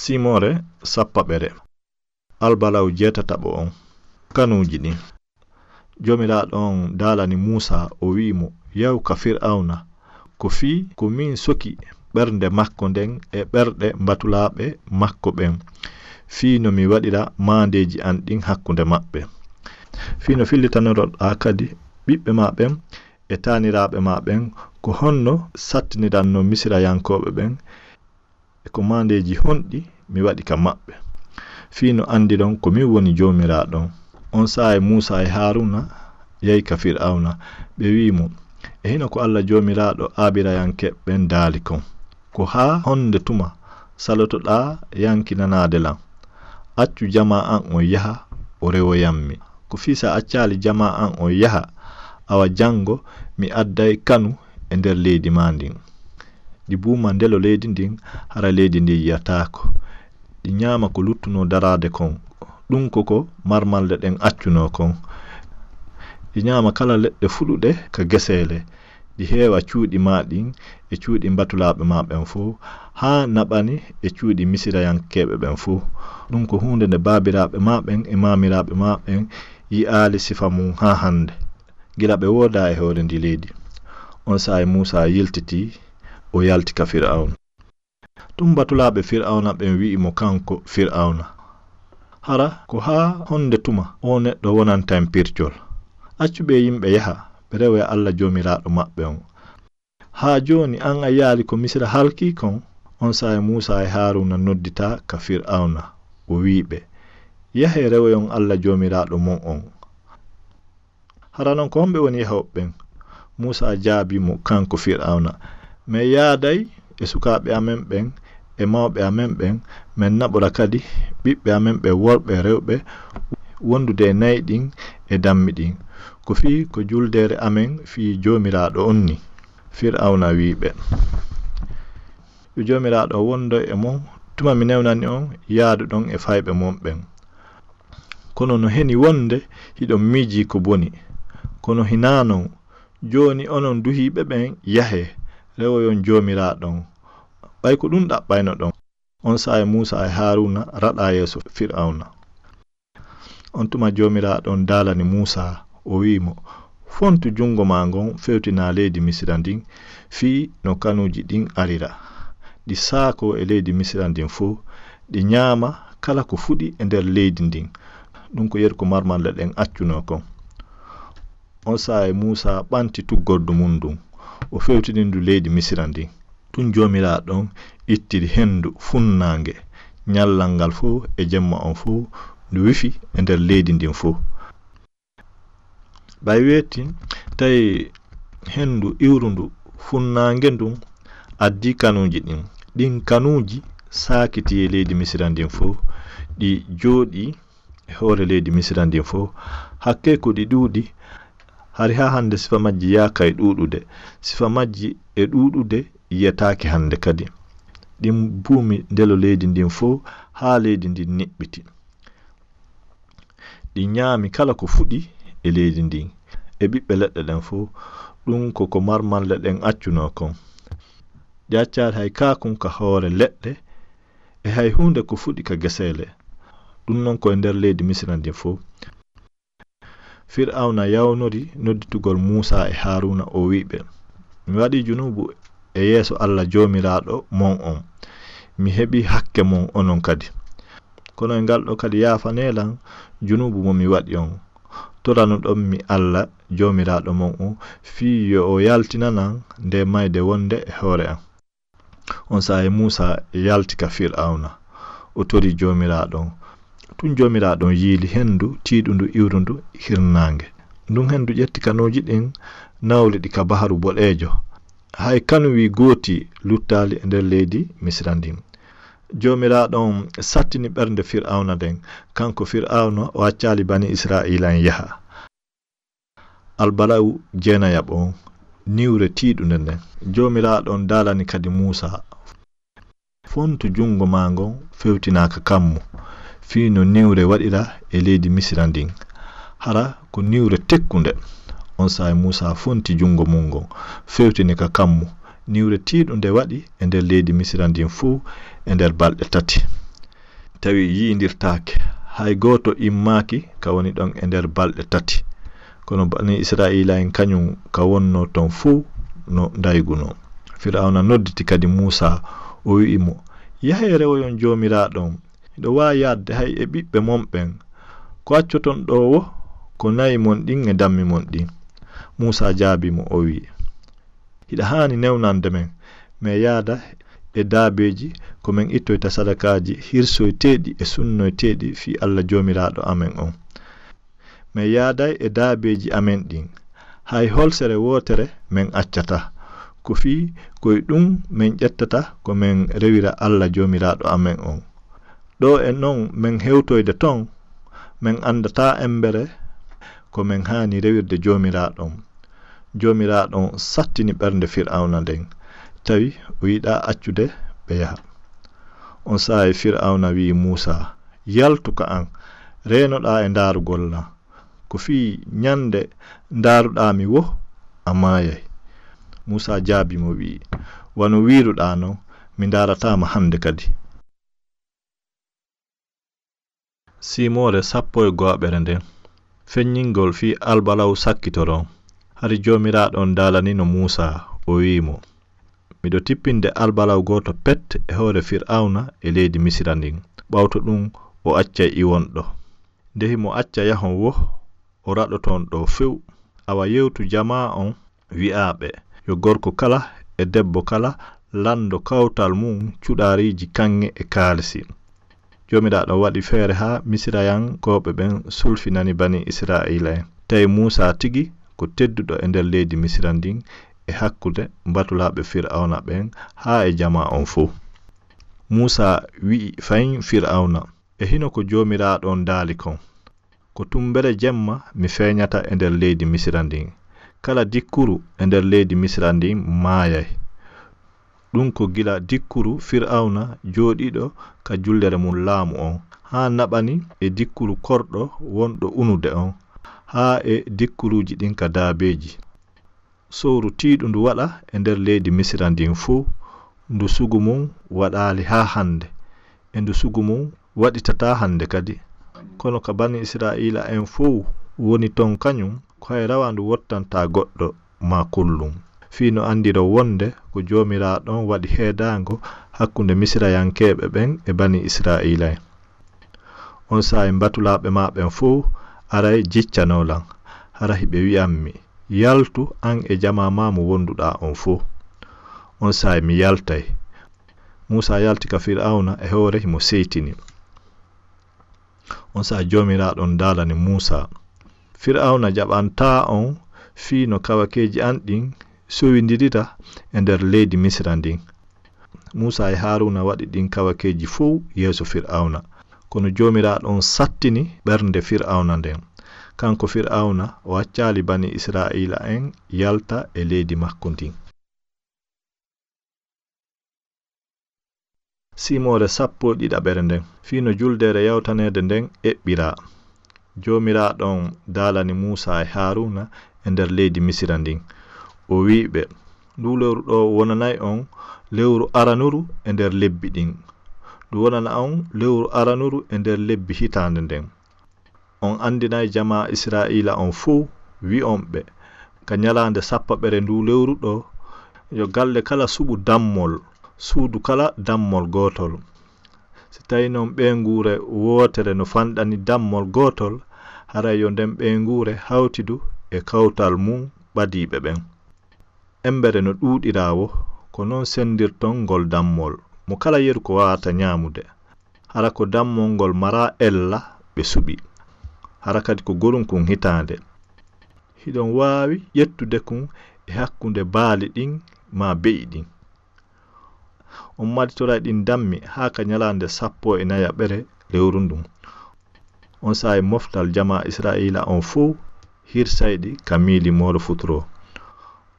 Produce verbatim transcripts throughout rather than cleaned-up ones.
Simoore sappaɓere. Albalaw jeetataɓo on. Kanuuji ɗin. Joomiraaɗo on daalani Muusaa, o wi'i mo, "Yahu ka Fir'awna, ko fii ko min soki ɓernde makko nden e ɓerɗe mbatulaaɓe makko ɓen, fii no mi waɗira maandeeji an ɗin hakkunde maɓɓe, fii no fillitanoroɗaa kadi ɓiɓɓe maa ɓen e taaniraaɓe maa ɓen, ko honno sattinirannoo Misirayankooɓe ɓen, e ko maandeeji honɗi mi waɗi ka maɓɓe, fii no anndiron ko min woni Joomiraaɗo on." On saa'i Muusaa e Haaruuna yahi ka Fir'awna, ɓe wi'i mo, "E hino ko Alla Joomiraaɗo Aabirayankeeɓe ɓen daali kon, 'Ko haa honde tuma salotoɗaa yankinanaade lan? Accu jamaa an on yaha, o rewoyan mi. Ko fii si a accaali jamaa an on yaha, awa janngo mi adday kanu e nder leydi maa ndin. Ɗi buuma ndelo leydi ndin, hara leydi ndin yi'ataako. Ɗi ñaama ko luttunoo daraade kon, ɗun ko ko marmalɗe ɗen accunoo kon. Ɗi ñaama kala leɗɗe fuɗuɗe ka geseele. Ɗi heewa cuuɗi maa ɗin e cuuɗi mbatulaaɓe maa ɓen fow, haa naɓani e cuuɗi Misirayankeeɓe ɓen fow. Ɗun ko huunde nde baabiraaɓe maa ɓen e maamiraaɓe maa ɓen yi'aali sifa mun haa hande, gila ɓe woodaa e hoore ndii leydi.'" On saa'i Muusaa yiltitii, o yalti ka Fir'awna. Tun batulaaɓe Fir'awna ɓen wi'i mo kanko Fir'awna, "Hara ko haa honde tuma oo neɗɗo wonanta en pircol? Accu ɓee yimɓe yaha, ɓe rewoya Alla Joomiraaɗo maɓɓe on. Haa jooni an a yi'aali ko Misira halkii kon?" On saa'i Muusaa e Haaruuna nodditaa ka Fir'awna, o wi'i ɓe, "Yahee rewoyon Alla Joomiraaɗo mon on." "Hara non ko homɓe woni yahooɓe ɓen?" Muusaa jaabii mo kanko Fir'awna, "Men yaaday e sukaaɓe amen ɓen e mawɓe amen ɓen, men naɓora kadi ɓiɓɓe amen ɓen worɓe e rewɓe wondude e na'i ɗin e dammi ɗin. Ko fii ko juldeere amen fii Joomiraaɗo on ni." Fir'awna wi'i ɓe, "Yo Joomiraaɗo on wondo e mon tuma mi newnani on yaaduɗon e fayɓe mon ɓen. Kono no heni wonde hiɗon miijii ko boni. Kono hinaa non, jooni onon duhiiɓe ɓen, yahee, rewoyon Joomiraaɗo on, ɓay ko ɗun ɗaɓɓaynoɗon." On saa'i Muusaa e Haaruuna raɗaa yeeso Fir'awna. On tuma Joomiraaɗo on daalani Muusaa, o wi'i mo, "Fontu jungo maa ngon fewtinaa leydi Misira ndin, fii no kanuuji ɗin arira. Ɗi saakoo e leydi Misira ndin fow, ɗi ñaama kala ko fuɗi e nder leydi ndin." Ɗun ko yeru ko marmalɗe ɗen accunoo kon. On saa'i Muusaa ɓanti tuggordu mun ndun, o fewtini ndu leydi Misira ndin. Tun Joomiraaɗo on ittiri hendu funnaange, ñallal ngal fow e jemma on fow, ndu wifi e nder leydi ndin fow. Ɓay weeti, tawi hendu iwrundu funnaange ndun addii kanuuji ɗin. Ɗin kanuuji saakitii e leydi Misira ndin fow, ɗi jooɗii e hoore leydi Misira ndin fow. Hakkee ko ɗi ɗuuɗi, hari haa hande sifa majji yaakay ɗuuɗude. Sifa majji e ɗuuɗude yi'etaake hande kadi. Ɗin buumi ndelo leydi ndin fow haa leydi ndin niɓɓiti. Ɗi ñaami kala ko fuɗi e leydi ndin, e ɓiɓɓe leɗɗe ɗen fow. Ɗun ko ko marmalɗe ɗen accunoo kon. Ɗi accaali hay kaakun ka hoore leɗɗe, e hay huunde ko fuɗi ka geseele. Ɗun non ko e nder leydi Misira ndin fow. Fir'awna yawnori nodditugol Muusaa e Haaruuna, o wi'i ɓe, "Mi waɗii junuubu e yeeso Alla Joomiraaɗo mon on. Mi heɓii hakke mon onon kadi. Kono e ngal ɗoo kadi yaafanee lan junuubu mo mi waɗi on. Toranuɗon mi Alla Joomiraaɗo mon on fii yo o yaltinan lan ndee mayde wonde e hoore an." On saa'i Muusaa yalti ka Fir'awna, o torii Joomiraaɗo on. Tun Joomiraaɗo on yiili hendu tiiɗundu iwrundu hirnaange. Ndun hendu ƴetti kanuuji ɗin, nawli ɗi ka Baharu Boɗeejo. Hay kanuwi gooti luttaali e nder leydi Misira ndin. Joomiraaɗo on sattini ɓernde Fir'awna nden. Kanko Fir'awna, o accaali Banii Isra'iila'en yaha. Albala'u jeenayaɓo on, niwre tiiɗunde nden. Joomiraaɗo on daalani kadi Muusaa, "Fontu jungo maa ngon fewtinaa ka kammu, fii no niwre waɗira e leydi Misira ndin. Hara ko niwre tekkunde." On saa'i Muusaa fonti jungo mun ngon, fewtini ka kammu. Niwre tiiɗunde waɗi e nder leydi Misira ndin fow e nder balɗe tati. tawi yi'indirtaake. Hay gooto immaaki ka woni ɗon e nder balɗe tati. Kono bani Isra'iila'en kañum ka wonnoo ton fuu no ndaygunoo. Fir'awna nodditi kadi Muusaa, o wi'i mo, "Yahee rewoyon Joomiraaɗo on. Hiɗo waawi yaadde hay e ɓiɓɓe mon ɓen. Ko accoton ɗoo wo ko na'i mon ɗin e dammi mon ɗin." Muusaa jaabii mo, o wi'i, "Hiɗa haani newnande men. Men yaada e daabeeji ko men ittoyta sadakaaji hirsoyteeɗi e sunnoyteeɗi fii Alla Joomiraaɗo amen on. Men yaaday e daabeeji amen ɗin. Hay holsere wootere men accataa. Ko fii ko e ɗum men ƴettata ko men rewira Alla Joomiraaɗo amen on. Ɗoo e non men hewtoyde ton, men anndataa embere ko men haani rewirde Joomiraaɗo on." Joomiraaɗo on sattini ɓernde Fir'awna nden, tawi o yiɗaa accude ɓe yaha. On saa'i Fir'awna wi'i Muusaa, "Yaltu ka an, reenoɗaa e ndaarugol lan. Ko fii ñande ndaaruɗaa mi wo, a maayay." Muusaa jaabii mo wi'i, "Wano wi'iruɗaa non, mi ndaarataa ma hande kadi." Siimoore sappo e go'aɓere nden. Feññingol fii albalaw sakkitoro on. Hari Joomiraaɗo on daalanino Muusaa, o wi'i mo, "Miɗo tippinde albalaw gooto pet e hoore Fir'awna e leydi Misira ndin, ɓawto ɗum o accay iwon ɗo. Nde himo acca yahon wo, o raɗoton ɗo few. Awa yewtu jamaa on, wi'aa ɓe, yo gorko kala e debbo kala lanndo kawtal mum cuɗaariiji kaŋŋe e kaalisi." Joomiraaɗo waɗi feere haa Misirayankooɓe ɓen sulfinani bani Isra'iila'en. Tawi Muusaa tigi ko tedduɗo e nder leydi Misira ndin e hakkunde mbatulaaɓe Fir'awna ɓen haa e jamaa on fow. Muusaa wi'i fahin Fir'awna, "E hino ko Joomiraaɗo on daali kon, ko tumbere jemma mi feeñata e nder leydi Misira ndin. Kala dikkuru e nder leydi Misira ndin maayay." Ɗum ko gila dikkuru Fir'awna jooɗiiɗo ka jullere mum laamu on, haa naɓani e dikkuru korɗo wonɗo unude on, haa e dikkuruuji ɗin ka daabeeji. Sowru tiiɗundu waɗa e nder leydi Misira ndin fuu, ndu sugu mum waɗaali haa hannde, e ndu sugu mum waɗitataa hannde kadi. Kono ka bani Isra'iila'en fow woni ton kañum, ko hay rawandu wottantaa goɗɗo maa kullum, fii no anndiro wonde ko Joomiraaɗo on waɗi heedaango hakkunde Misirayankeeɓe ɓen e bani Isra'iila'en. On saa'i mbatulaaɓe maa ɓen fow aray jiccanoo lan, hara hiɓe wi'ammi, "Yaltu, an e jamaa maa mo wonduɗaa on fow." On saa'i mi yaltay. Muusaa yalti ka Fir'awna e hoore himo seytini. On saa'i Joomiraaɗo on daalani Muusaa, "Fir'awna jaɓantaa on fii no kawakeeji an ɗin sowindirira e nder leydi Misira ndin." Muusaa e Haaruuna waɗi ɗin kawakeeji fow yeeso Fir'awna. Kono Joomiraaɗo on sattini ɓernde Fir'awna nden. Kanko Fir'awna o accaali bani Isra'iila'en yalta e leydi makko ndin. Siimoore sappo e ɗiɗaɓere nden, fii no juldeere yawtaneede nden eɓɓiraa. Joomiraaɗo on daalani Muusaa e Haaruuna e nder leydi Misira ndin. O wi'i ɓe, "Nduu lewru ɗoo wonanay on lewru aranuru e nder lebbi ɗin. Ndu wonana on lewru aranuru e nder lebbi hitaande nden. On anndinay jamaa Isra'iila on fow, wi'on ɓe, ka ñalaande sappaɓere nduu lewru ɗoo, yo galle kala suɓu dammol, suudu kala dammol gootol. Si tawii non ɓeynguure wootere no fanɗani dammol gootol, haray yo nden ɓeynguure hawtidu e kawtal mum ɓadiiɓe ɓen. Embere no ɗuuɗiraa wo, ko non senndirton ngol dammol. Mo kala yeru ko waawata ñaamude. Hara ko dammol ngol maraa ella ɓe suɓi. Hara kadi ko gorum kun hitaande. Hiɗon waawi ƴettude kun e hakkunde baali ɗin maa be'i ɗin. On maditoray ɗin dammi haa ka ñalaande sappo e nayaɓere lewru ndun." On saa'i moftal jamaa Isra'iila on fow hirsay ɗi ka miili mooro futuro.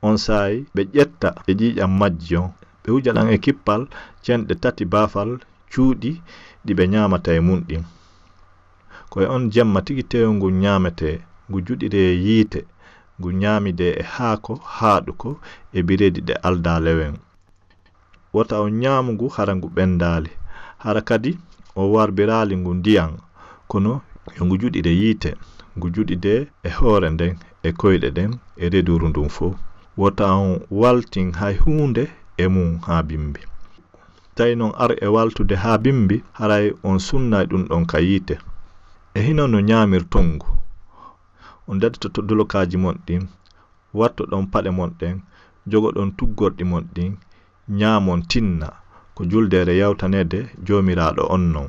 On saa'i ɓe ƴetta e ƴiiƴam majji on, ɓe wuja ɗan e kippal cenɗe tati baafal cuuɗi ɗi ɓe ñaamata e mun ɗin. Ko e on jemma tigi teewu ngun ñaametee, ngu juɗiree yiite, ngu ñaamidee e haako haaɗuko e bireedi ɗe aldaa lewen. Wota on ñaamu ngu hara ngu ɓendaali, hara kadi o warbiraali ngu ndiyan, kono yo ngu juɗide yiite, ngu juɗide e hoore nden, e koyɗe ɗen, e reduru ndun fow. Wota on waltin hay huunde e mun haa bimbi. Tawi non ar e waltude haa bimbi, haray on sunnay ɗun ɗon ka yiite. E hino no ñaamirton ngu. On daɗitoto dolokaaji mon ɗin, wattoɗon paɗe mon ɗen, jogoɗon tuggorɗi mon ɗin, ñaamon tinna, ko juldeere yawtaneede Joomiraaɗo on non.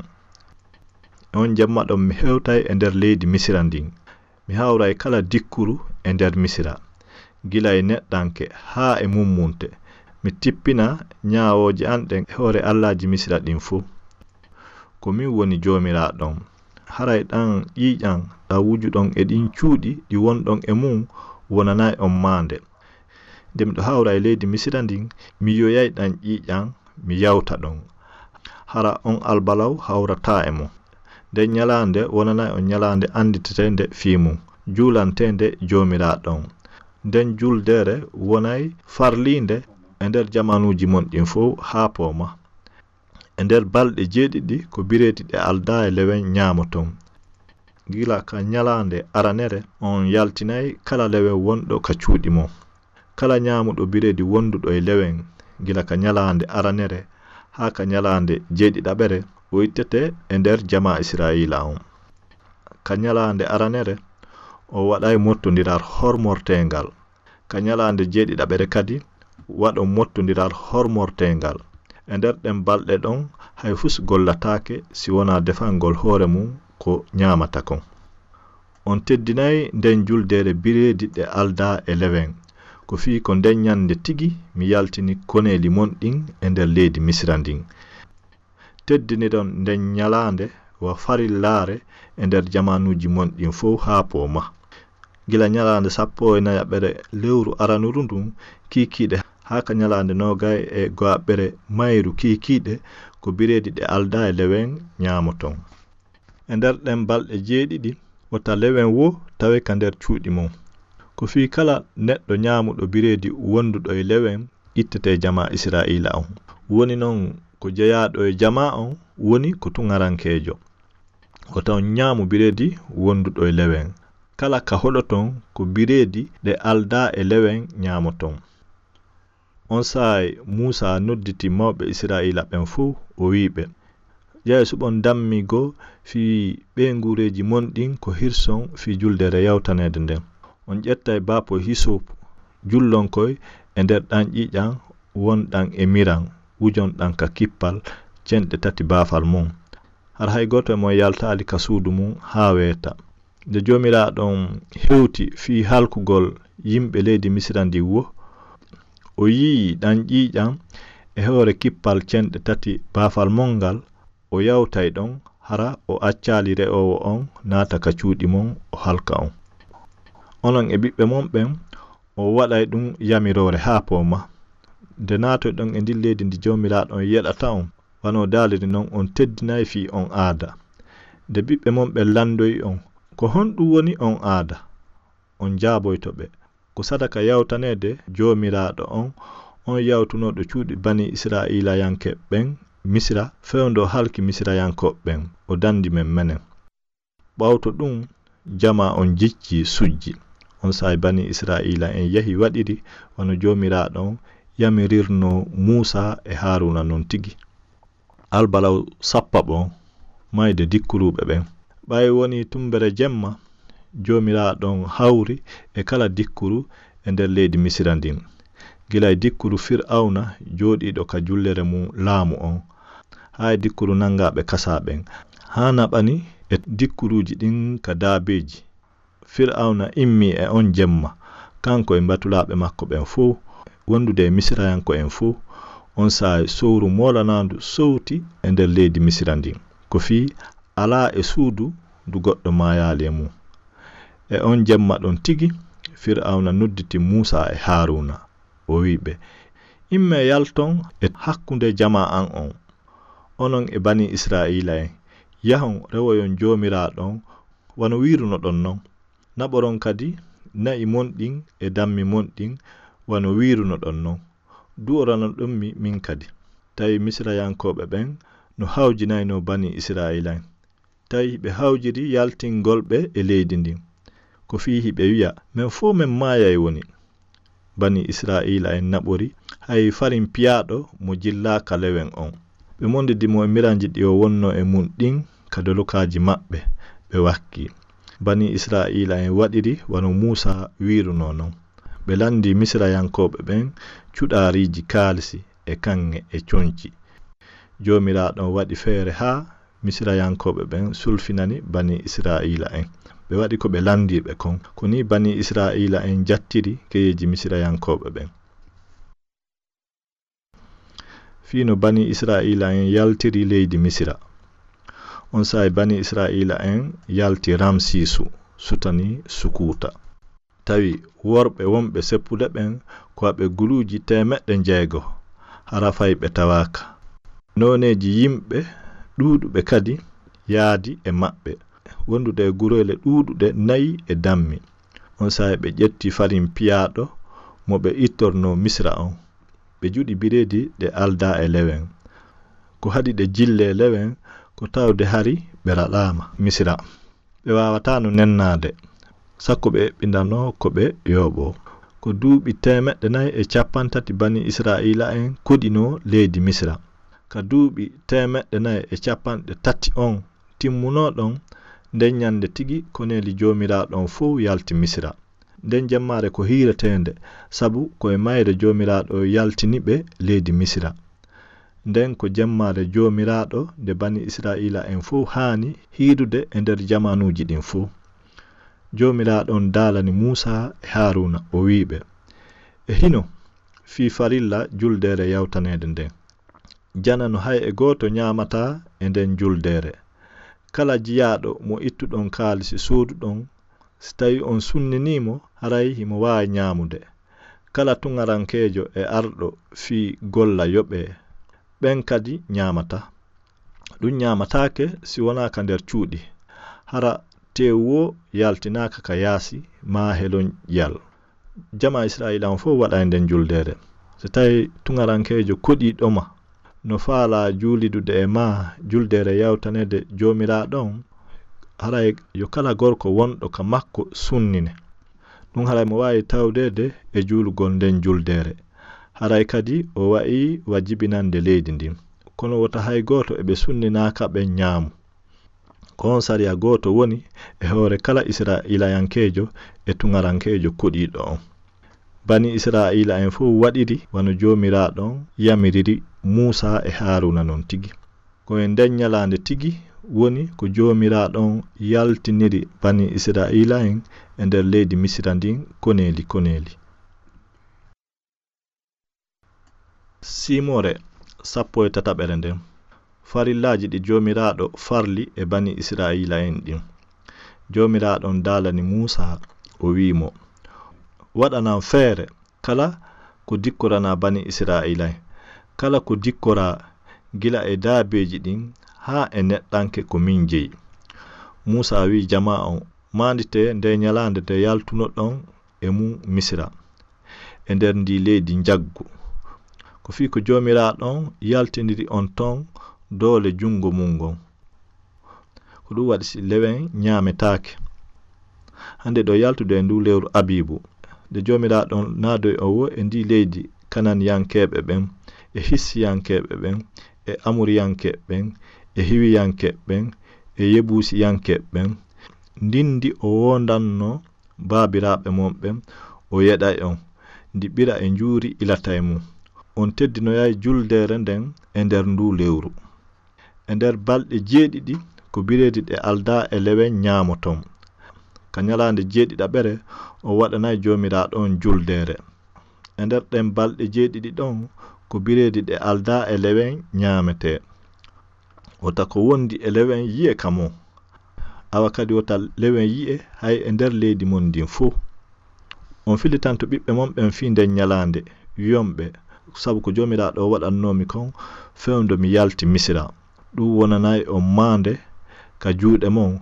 E on jemma ɗon mi hewtay e nder leydi Misira ndin. Mi hawray kala dikkuru e nder Misira, gila e neɗɗanke haa e mummunte. Mi tippina ñaawooje an ɗen e hoore allaaji Misira ɗin fow. Ko min woni Joomiraaɗo on. Haray ɗan ƴiiƴan ɗan wujuɗon e ɗin cuuɗi ɗi wonɗon e mun wonanay on maande. Nde miɗo hawra e leydi Misira ndin, mi yi'oyay ɗan ƴiiƴan, mi yawta ɗon. Hara on albalaw hawrataa e mun. Nden ñalaande wonanay on ñalaande annditeteende fii mun, juulanteende Joomiraaɗo on. Nden juldeere wonay farliinde e nder jamaanuuji mon ɗin fow haa pooma. E nder balɗe jeeɗiɗi ko bireedi ɗe aldaa e lewen ñaamoton. Gila ka ñalaande aranere on yaltinay kala lewen wonɗo ka cuuɗi mon. Kala ñaamuɗo bireedi wonduɗo e lewen, gila ka ñalaande aranere haa ka ñalaande jeeɗiɗaɓere, o ittete e nder jamaa Israa'iila on. Ka ñalaande aranere, o waɗay mottondiral hormorteengal. Ka ñalaande jeeɗiɗaɓere kadi, waɗon mottondiral hormorteengal. E nder ɗen balɗe ɗon, hay fus gollataake si wonaa defangol hoore mun ko ñaamata kon. On teddinay nden juldeere bireedi ɗe aldaa e lewen. Ko fii ko nden ñande tigi mi yaltini koneeli mon ɗin e nder leydi Misira ndin. Teddiniron nden ñalaande wa farillaare e nder jamaanuuji mon ɗin fow haa pooma. Gila ñalaande sappo e nayaɓere lewru aranuru ndun kiikiiɗe haa ka ñalaande noogay e go'aɓere mayru kiikiiɗe ko bireedi ɗe aldaa e lewen ñaamoton. E nder ɗen balɗe jeeɗiɗi, wota lewen woo tawe ka nder cuuɗi mon. Ko fii kala neɗɗo ñaamuɗo bireedi wonduɗo e lewen ittete jamaa Israa'iila on. Woni non ko jeyaaɗo e jamaa on woni ko tuŋarankeejo. Wota on ñaamu bireedi wonduɗo e lewen. Kala ka hoɗoton ko bireedi ɗe aldaa e lewen ñaamoton. On saa'i Muusaa nodditi mawɓe Israa'iila ɓen fow, o wi'i ɓe, "Ja'e suɓon dammigo fii ɓeynguureeji mon ɗin ko hirson fii juldeere yawtaneede nden. On ƴettay baapo hisopu, jullon koy e nder ɗan ƴiiƴan wonɗan e miran, wujon ɗan ka kippal cenɗe tati baafal mon. Hara hay gooto e mon yaltaali ka suudu mun haa weeta." Nde Joomiraaɗo on hewti fii halkugol yimɓe leydi Misira ndin woo, o yi'i ɗan ƴiiƴan e hoore kippal cenɗe tati baafal mon ngal, o yawtay ɗon, hara o accaali re'oowo on naata ka cuuɗi mon, o halka on. Onon e ɓiɓɓe mon ɓen, o waɗay ɗun yamiroore haa pooma. Nde naatoyɗon e ndin leydi ndi Joomiraaɗo on yeɗata on, wano daaliri non, on teddinay fii on aada. Nde ɓiɓɓe mon ɓen landoyi on, "Ko honɗun woni on aada?" On jaaboyto ɓe, "Ko sadaka yawtaneede Joomiraaɗo on, on yawtunooɗo cuuɗi Banii Israa'iilayanke ɓen Misira, fewndo halki Misirayankooɓe ɓen, o dandi men menen." Ɓawto ɗun, jamaa on jicci sujji. On saa'i Banii Israa'iila'en yahi waɗiri wano Joomiraaɗo on yamirirnoo Muusaa e Haaruuna non tigi. Albalaw sappaɓo, mayde dikkuruuɓe ɓen. Ɓay wonii tumbere jemma, Joomiraaɗo on hawri e kala dikkuru e nder leydi Misira ndin. Gila e dikkuru Fir'awna jooɗiiɗo ka jullere mun laamu on, haa e dikkuru nangaaɓe kasaa ɓen, haa naɓani e dikkuruuji ɗin ka daabeeji. Fir'awna immii e on jemma, kanko e mbatulaaɓe makko ɓen fow, wondude e Misirayanko'en fow. On saa'i sowru moolanaandu sowti e nder leydi Misira ndin, ko fii alaa e suudu ndu goɗɗo maayaali e mun. E on jemma ɗon tigi, Fir'awna nodditi Muusaa e Haaruuna. O wi'i ɓe, "Immee yalton e hakkunde jamaa an on, onon e Banii Israa'iila'en, yahon rewoyon Joomiraaɗo on wano wiirunoɗon non. Naɓoron kadi na'i mon ɗin e dammi mon ɗin wano wiirunoɗon non. Du'oranoɗon mi min kadi." Tawi Misirayankooɓe ɓen no hawjinaynoo bani Israa'iila'en. Tawi hiɓe hawjiri yaltingol ɓe e leydi ndin. Ko fii hiɓe wi'a, "Men fow men maayay woni." Bani Israa'iila'en naɓori, hay farin piyaaɗo mo jillaaka lewen on. Ɓe mondidi mo e miranji ɗi o wonnoo e mun ɗin ka dolokaaji maɓɓe, ɓe wakkii. Bani Israa'iila'en waɗiri wano Muusaa wiirunoo non. Ɓe landii Misirayankooɓe ɓen cuɗaariiji kaalisi e kaŋŋe e conci. Joomiraaɗo on waɗi feere haa Misirayankooɓe ɓen sulfinani bani Israa'iila'en. Ɓe waɗi ko ɓe landii ɓe kon. Ko nii bani Israa'iila'en jattiri keyeeji Misirayankooɓe ɓen. Fii no bani Israa'iila'en yaltiri leydi Misira. Onsay bani Israa'iila'en yalti Ramsiisu, sutani Sukuuta. Tawi worɓe wonɓe seppude ɓen ko aɓe guluuji teemeɗɗe njeego, hara fay ɓe tawaaka. Nooneeji yimɓe ɗuuɗuɓe kadi yaadi e maɓɓe, wondude e gureele ɗuuɗuɗe nayi e dammi. Onsay ɓe ƴetti farin piyaaɗo mo ɓe ittornoo Misira on. Ɓe juɗi bireedi ɗe aldaa e lewen. Ko haɗi ɗe jillee lewen ko tawde hari ɓe raɗaama Misira. Ɓe waawataa no nennaade, sakko ɓe eɓɓindanoo ko ɓe yooɓoo. Ko duuɓi teemeɗɗe nayi e cappanɗe tati bani Israa'iila'en koɗinoo leydi Misira. Ka duuɓi teemeɗɗe nayi e cappanɗe tati on timmunoo ɗon, nden ɲande tigi koneeli Joomiraaɗo on fow yalti Misira. Nden jemmaare ko hiireteende, sabu ko e mayre Joomiraaɗo yaltini ɓe leydi Misira. Nden ko jemmaare Joomiraaɗo nde bani Israa'iila'en fow haani hiirude e nder jamaanuuji ɗin fow. Joomiraaɗo on daalani Muusaa e Haaruuna, o wi'i ɓe, "E hino fii farilla juldeere yawtaneede nden. Janano hay e gooto ɲaamataa e nden juldeere. Kala jiyaaɗo mo ittuɗon kaalisi sooduɗon, si tawii on sunninii mo, haray himo waawi ɲaamude. Kala tuŋarankeejo e arɗo fii golla yoɓee, ɓen kadi ɲaamataa. Ɗun ɲaamataake si wonaa ka nder cuuɗi, hara teewu woo yaltinaaka ka yaasi maa helonƴiyal." Jamaa Israa'iila on fow waɗay nden juldeere. Si tawii tuŋarankeejo koɗiiɗo ma no faalaa juulidude e maa juldeere yawtaneede Joomiraaɗo on, haray yo kala gorko wonɗo ka makko sunnine. Ɗun haray mo waawi tawdeede e juulugol nden juldeere. Haray kadi o wa'ii wa jibinande leydi ndin. Kono wota hay gooto e ɓe sunninaaka ɓen ɲaamu. Ko on sariya gooto woni e hoore kala Israa'iilayankeejo e tuŋarankeejo koɗiiɗo on. Bani Israa'iila'en fow waɗiri wano Joomiraaɗo on yamiriri Muusaa e Haaruuna non tigi. Ko e nden ɲalaande tigi woni ko Joomiraaɗo on yaltiniri bani Israa'iila'en e nder leydi Misira ndin koneeli koneeli. Siimoore sappo e tataɓere nden. Farillaaji ɗi Joomiraaɗo farli e bani Israa'iila'en ɗin. Joomiraaɗo on daalani Muusaa, o wi'i mo, "Waɗanan feere kala ko dikkoranaa bani Israa'iila'en, kala ko dikkoraa gila e daabeeji ɗin haa e neɗɗanke ko min jeyi." Muusaa wi'i jamaa on, "Maanditee ndee ɲalaande nde yaltunoɗon e mun Misira, e nder ndii leydi njaggu. Ko fii ko Joomiraaɗo on yaltiniri on ton doole junngo mun ngon. Ko ɗun waɗi si lewen ɲaametaake. Hande hiɗon yaltude e nduu lewru Abiibu, nde Joomiraaɗo on naadoyi on woo e ndii leydi Kananiyankeeɓe ɓen, e Hissiyankeeɓe ɓen, e Amoriyankeeɓe ɓen, e Hiwiyankeeɓe ɓen, e Yebuusiyankeeɓe ɓen, ndin ndi o woondannoo baabiraaɓe mon ɓen, o yeɗay on, ndi ɓira e njuuri ilata e mun. On teddinoyay juldeere nden e nder nduu lewru. E nder balɗe jeeɗiɗi ko bireedi ɗe aldaa e lewen ɲaamoton. Ka ɲalaande jeeɗiɗaɓere on waɗanay Joomiraaɗo on juldeere. E nder ɗen balɗe jeeɗiɗi ɗon ko bireedi ɗe aldaa e lewen ɲaametee. Wota ko wondi e lewen yi'e ka mon. Awa kadi wota lewen yi'e hay e nder leydi mon ndin fow. On fillitanto ɓiɓɓe mon ɓen fii nden ɲalaande, wi'on ɓe, 'Sabu ko Joomiraaɗo waɗannoo mi kon fewndo mi yalti Misira, ɗun wonanay on maande ka juuɗe mon,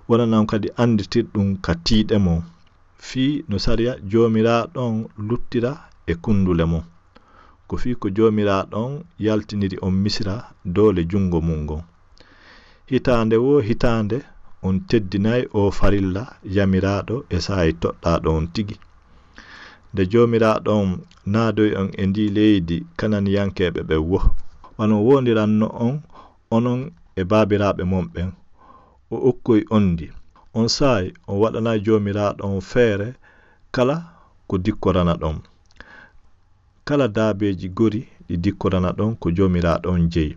wonanan on kadi anditirɗun ka tiiɗe mon, fii no sariya Joomiraaɗo on luttira e kundule mon.' Ko Ko fii ko Joomiraaɗo on yaltiniri on Misira doole junngo mun ngon. Hitaande woo hitaande on teddinay oo farilla yamiraaɗo e saa'i toɗɗaaɗo on tigi. Nde Joomiraaɗo on naadoyi on e ndii leydi Kananiyankeeɓe ɓen woo, wano woondiranno on onon e baabiraaɓe mon ɓen, o okkoyi on ndi. On saa'i on waɗanay Joomiraaɗo on feere kala ko dikkoranaɗon. Kala daabeeji gori ɗi dikkoranaɗon ko Joomiraaɗo on jeyi.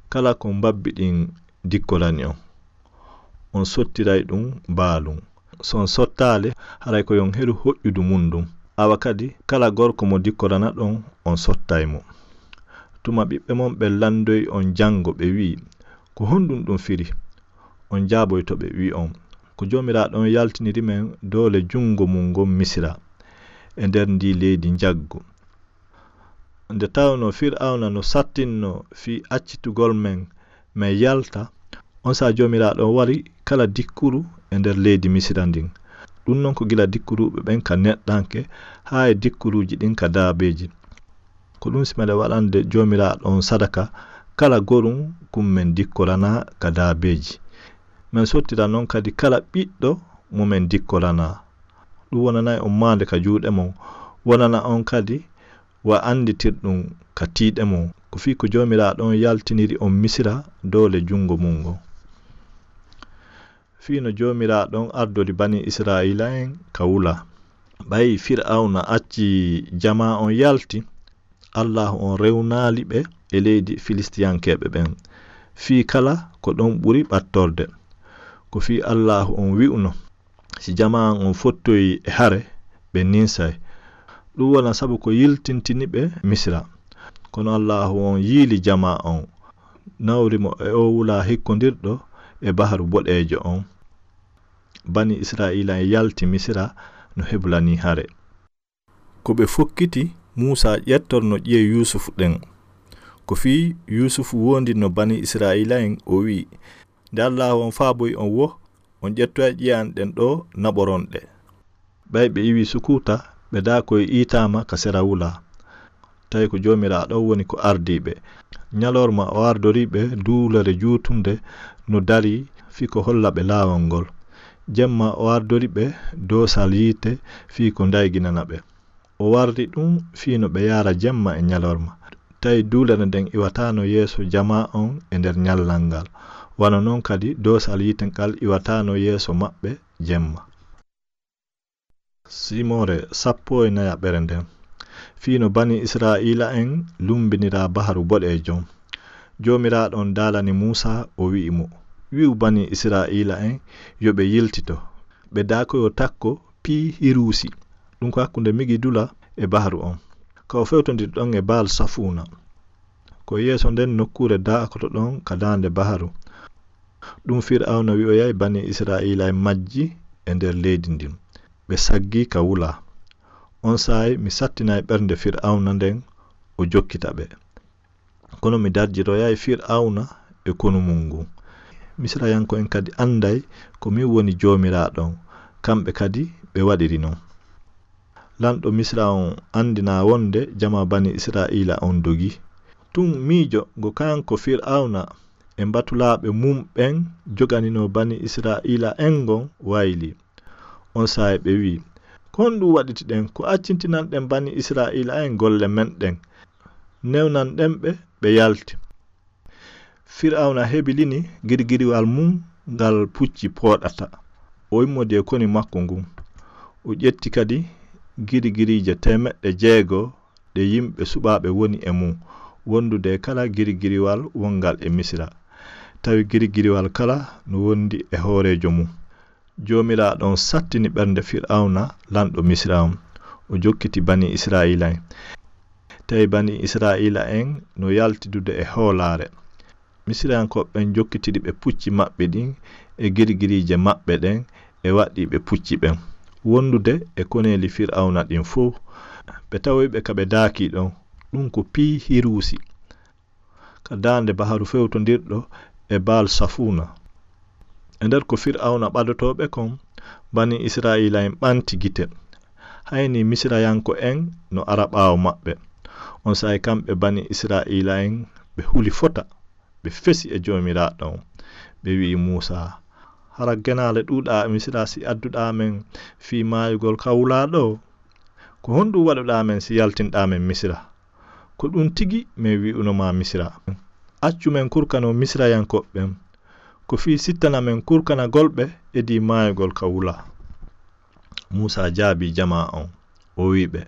Kala ko mbabbi ɗin dikkorani on, on sottiray ɗum baalum. So on sottaali, haray ko yo on heɗu hoƴƴudu mun ndun. Awa kadi, kala gorko mo dikkoranaɗon, on sottay mo. Tuma ɓiɓɓe mon ɓen landoyi on janngo, ɓe wi'i, "Ko honɗum ɗum firi?" On jaaboyto ɓe, wi'on, "Ko Joomiraaɗo on yaltiniri men doole junngo mun ngon Misira, e nder ndii leydi njaggu." Nde tawnoo Fir'awna no sattinnoo fii accitugol men, men yalta, on saa'i Joomiraaɗo on wari kala dikkuru e nder leydi Misira ndin. Ɗum non ko gila dikkuruuɓe ɓen ka neɗɗanke, haa e dikkuruuji ɗin ka daabeeji. Ko ɗum si meɗen waɗande Joomiraaɗo on sadaka kala gorum kum men dikkoranaa ka daabeeji. Men sottira non kadi kala ɓiɗɗo mo men dikkoranaa. Ɗum wonanay on maande ka juuɗe mon, wonana on kadi wa annditirɗum ka tiiɗe mon. Ko fii ko Joomiraaɗo on yaltiniri on Misira doole junngo mun ngon. Fii no Joomiraaɗo on ardori banii Isra'iila'en ka wula. Ɓay Fir'awna acci jamaa on yalti, Allaahu on rewnaali ɓe e leydi Filistiyankeeɓe ɓen, fii kala ko ɗon ɓuri ɓattorde. Ko fii Allaahu on wi'uno, "Si jamaa an on fottoyi e hare, ɓe ninsay." Ɗum wona sabu ko yiltintini ɓe Misira. Kono Allaahu on yiili jamaa on, nawri mo e oo wulaa hikkondirɗo e Baharu Boɗeejo on. Banii Isra'iila'en yalti Misira no heblanii hare. Ko ɓe fokkiti Muusaa ƴettorno ƴi'e Yuusufu ɗen. Ko fii Yuusufu woondinno banii Isra'iila'en, o wi'i, "Nde Allaahu on faaboyi on woo, on ƴettoyay ƴi'e an ɗen ɗoo naɓoron ɗe." Ɓay ɓe iwii sukuta, ɓe daakoyi iitaama ka sera wulaa. Tawi ko Joomiraaɗo on woni ko ardii ɓe. Ɲalorma o ardori ɓe duulere juutunde no darii fii ko holla ɓe laawol ngol. Jemma o ardori ɓe doosal yiite fii ko ndayginana ɓe. O warri ɗum fii no ɓe yaara jemma e ɲalorma. Tawi duulere nden iwataano yeeso jamaa on e nder ɲallal ngal, wano non kadi doosal yiite ngal iwataano yeeso maɓɓe jemma. Simoore sappo e nayaɓere nden. Fii no banii Isra'iila'en lumbinira Baharu Boɗeejo. Joomiraaɗo on daalani Muusaa, o wi'i mo, "Wi'u banii Isra'iila'en yo ɓe yiltito, ɓe daakoyo takko Pii Hiruusi, ɗum ko hakkunde Migidula e Baharu on, ka o fewtondiri ɗon e Baal Safuuna. Ko yeeso nden nokkuure daakoto ɗon ka daande Baharu." Ɗum Fir'awna wi'oyay banii Isra'iila'en majji e nder leydi ndin. Ɓe saggii ka wulaa. On saa'i mi sattinay ɓernde Fir'awna nden, o jokkita ɓe. Kono mi darjiroyay Fir'awna e konu mun ngun. Misirayanko'en kadi anday ko min woni Joomiraaɗo on, kamɓe kadi ɓe waɗiri non. Lanɗo Misira on andinaa wonde jamaa banii Isra'iila on dogii. Tun miijo ngo kanko Fir'awna e mbatulaaɓe mun ɓen joganinoo banii Isra'iila'en ngon waylii. On saa'i ɓe wi'i, "Ko honɗum waɗitiɗen? Ko accintinanɗen banii Isra'iila'en golle men ɗen, newnanɗen ɓe, ɓe yalti." Fir'awna hebilini girgiriwal mun ngal pucci pooɗata. O immodi e koni makko ngun. O ƴetti kadi girgiriije teemeɗɗe jeego ɗe yimɓe suɓaaɓe woni e mun, wondude e kala girgiriwal wongal e Misira. Tawi girgiriwal kala no wondi e hooreejo mun. Joomiraaɗo on sattini ɓernde Fir'awna, lanɗo Misira on. O jokkiti banii Isra'iila'en. Tawi banii Isra'iila'en no yaltidude e hoolaare. Misirayankooɓe ɓen jokkitiri ɓe pucci maɓɓe ɗin e girgiriije maɓɓe ɗen e waɗɗiiɓe pucci ɓen, wondude e koneeli Fir'awna ɗin fow. Ɓe tawoyi ɓe ka ɓe daakii ɗon, ɗum ko Pii Hiruusi, ka daande baharu fewtondirɗo e Baal Safuuna. E nder ko Fir'awna ɓadotoo ɓe kon, banii Isra'iila'en ɓanti gite. Hayni Misirayanko'en no ara ɓaawo maɓɓe. On saa'i kamɓe bani Isra'iila'en ɓe huli fota, ɓe fesi e Joomiraaɗo on. Ɓe wi'i Muusaa, "Hara genaale ɗuuɗaa e Misira si adduɗaa men fii maayugol ka wulaa ɗoo? Ko honɗum waɗuɗaa men si yaltinɗaa men Misira? Ko ɗum tigi men wi'uno maa Misira. Accu men kurkano Misirayankooɓe ɓen. Ko fii sittana men kurkanagol ɓe edii maayugol ka wulaa." Muusaa jaabii jamaa on, o wi'i ɓe,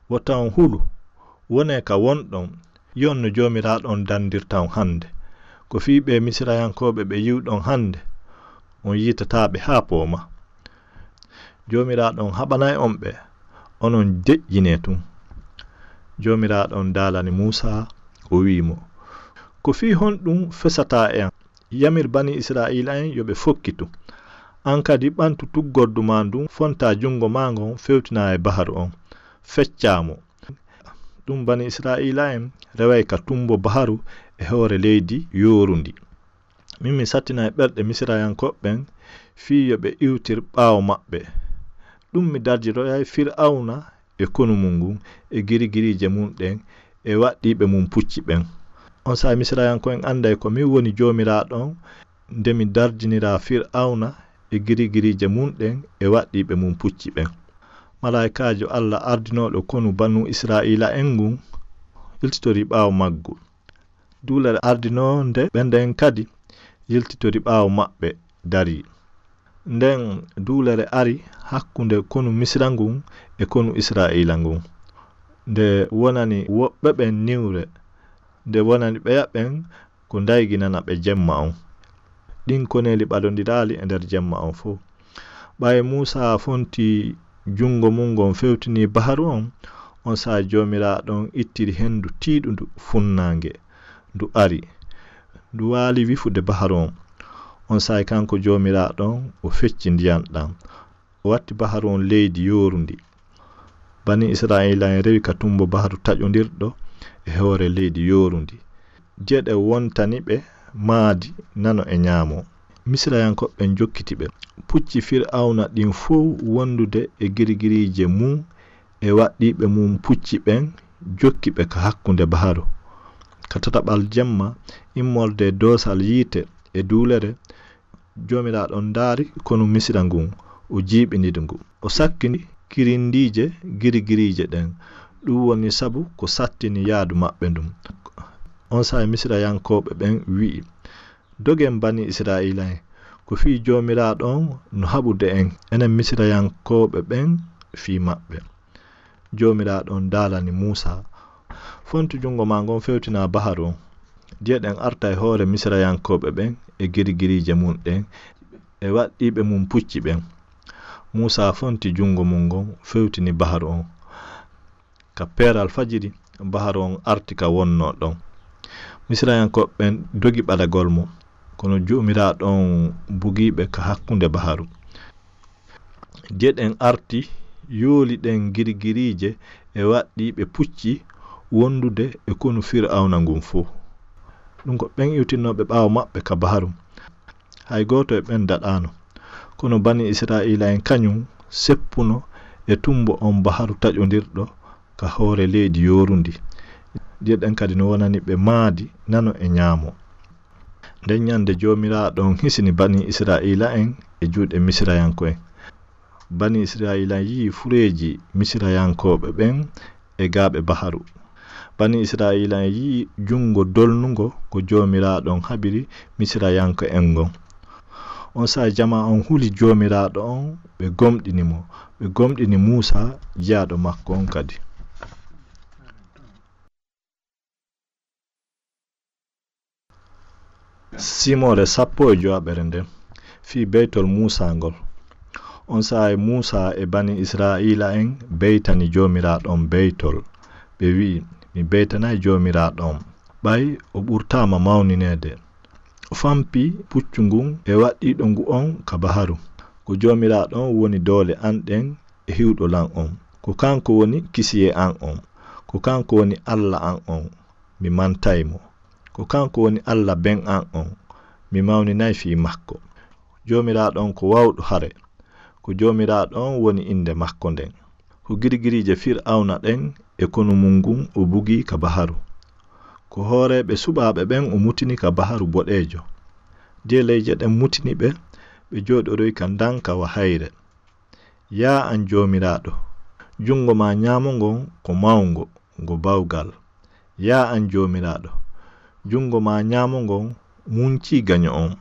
"Wota on hulu, wonee ka wonɗon, yi'on no Joomiraaɗo on dandirta on hande. Ko fii ɓee Misirayankooɓe ɓe yi'uɗon hande, on yiitataa ɓe haa poomaa. Joomiraaɗo on haɓanay on ɓe, onon deƴƴinee tun." Joomiraaɗo on daalani Muusaa, o wi'i mo, "Ko fii honɗum fesataa e an? Yamir bani Isra'iila'en yo ɓe fokkitu. An kadi ɓantu tuggordu maa ndun, fontaa jungo maa ngon, fewtinaa e baharu on, feccaa mo." Ɗum bani Isra'iila'en reway ka tumbo baharu e hoore leydi yoorundi. Min mi sattinay ɓerɗe Misirayankooɓe ɓen fii yo ɓe iwtir ɓaawo maɓɓe. Ɗum mi darjiroyay Fir'awna e konu mun ngun, e girigiriije mun ɗen, e waɗɗiiɓe mun pucci ɓen. On saa'i Misirayanko'en anday ko min woni Joomiraaɗo on, nde mi darjiniraa Fir'awna e girigiriije mun ɗen, e waɗɗiiɓe mun pucci ɓen. Malaa'ikaajo Alla ardinooɗo konu banu Isra'iila'en ngun yiltitorii ɓaawo maggu. Duulere ardinoonde ɓe nden kadi yiltitori ɓaawo maɓɓe darii. Nden duulere ari hakkunde konu Misira ngun e konu Isra'iila ngun. Nde wonani woɓɓe ɓen niwre, nde wonani ɓeya ɓen ko ndayginana ɓe jemma on. Ɗin koneeli ɓadondiraali e nder jemma on fow. Ɓay Muusaa fonti jungo mun ngon fewtini baharu on, on saa'i Joomiraaɗo on ittiri hendu tiiɗundu funnaange, ndu ari, ndu waali wifude baharu on. On saa'i kanko Joomiraaɗo on o fecci ndiyan ɗan, o watti baharu on leydi yoorundi. Bani Isra'iila'en rewi ka tumbo baharu taƴondirɗo e hoore leydi yoorundi. Jeɗe wontani ɓe maadi nano e ñaamo. Misirayankooɓe ɓen jokkiti ɓe. Pucci Fir'awna ɗin fow wondude e girigiriije mun e waɗɗiiɓe mun pucci ɓen jokki ɓe ka hakkunde baharu. Ka tataɓal jemma, immorde e doosal yiite e duulere, Joomiraaɗo on ndaari konu Misira ngun, o jiiɓini ndu. O sakkini kirindiije girigiriije ɗen. Ɗum woni sabu ko sattini yaadu maɓɓe ndun. On saa'i Misirayankooɓe ɓen wi'i, "Dogen bani Isra'iila'en, ko fii Joomiraaɗo on no haɓude en, enen Misirayankooɓe ɓen fii maɓɓe." Joomiraaɗo on daalani Muusaa, "Fontu jungo maa ngon fewtinaa baharu on. Diye ɗen arta e hoore Misirayankooɓe ɓen e girigiriije mun ɗen e waɗɗiiɓe mun pucci ɓen." Muusaa fonti jungo mun ngon fewtini baharu on. Ka peeral fajiri, baharu on arti ka wonnoo ɗon. Misirayankooɓe ɓen dogi ɓadagol mo, kono Joomiraaɗo on bugii ɓe ka hakkunde baharu. Diye ɗen arti, yooli ɗen girigiriije e waɗɗiiɓe pucci wondude e konu Fir'awna ngun fow. Ɗum ko ɓen iwtinnooɓe ɓaawo maɓɓe ka baharu. Hay gooto e ɓen daɗaano. Kono bani Isra'iila'en kañum seppuno e tumbo on baharu taƴondirɗo ka hoore leydi yoorundi. Diye ɗen kadi no wonani ɓe maadi nano e ñaamo. Nden ñande Joomiraaɗo on hisini bani Isra'iila'en e juuɗe Misirayanko'en. Bani Isra'iila yi'i fureeji Misirayankooɓe ɓen e gaaɓe baharu. Bani Isra'iila yi'i jungo dolnungo ko Joomiraaɗo on haɓiri Misirayanko'en ngon. On saa'i jamaa on huli Joomiraaɗo on, ɓe gomɗini mo, ɓe gomɗini Muusaa, jiyaaɗo makko on kadi. Simoore sappo e jowaɓere nden, fii beytol Muusaa ngol. On saa'i Muusaa e bani Isra'iila'en beytani Joomiraaɗo on beytol. Ɓe wi'i, "Mi beytanay Joomiraaɗo on, ɓay o ɓurtaama mawnineede. O fampi puccu ngun e waɗɗiiɗo ngu on ka baharu. Ko Joomiraaɗo on woni doole an ɗen e hiwɗo lan on. Ko kanko woni kisiyee an on. Ko kanko woni Alla an on. Mi mantay mo. Ko kanko woni Alla ben an on. Mi mawninay fii makko. Joomiraaɗo on ko wawɗo hare. Ko Joomiraaɗo on woni innde makko nden. Ko girgiriije Fir'awna ɗen e konu mum ngun o bugi ka baharu. Ko hooreeɓe suɓaaɓe ɓen o mutini ka baharu boɗeejo. Dieleeje ɗen mutini ɓe, ɓe jooɗoroyi ka ndanka wa hayre. Yaa an Joomiraaɗo, junngo maa ɲaamo ngon ko mawngo, ngo bawgal. Yaa an Joomiraaɗo, junngo maa ɲaamo ngon muncii gaɲo on.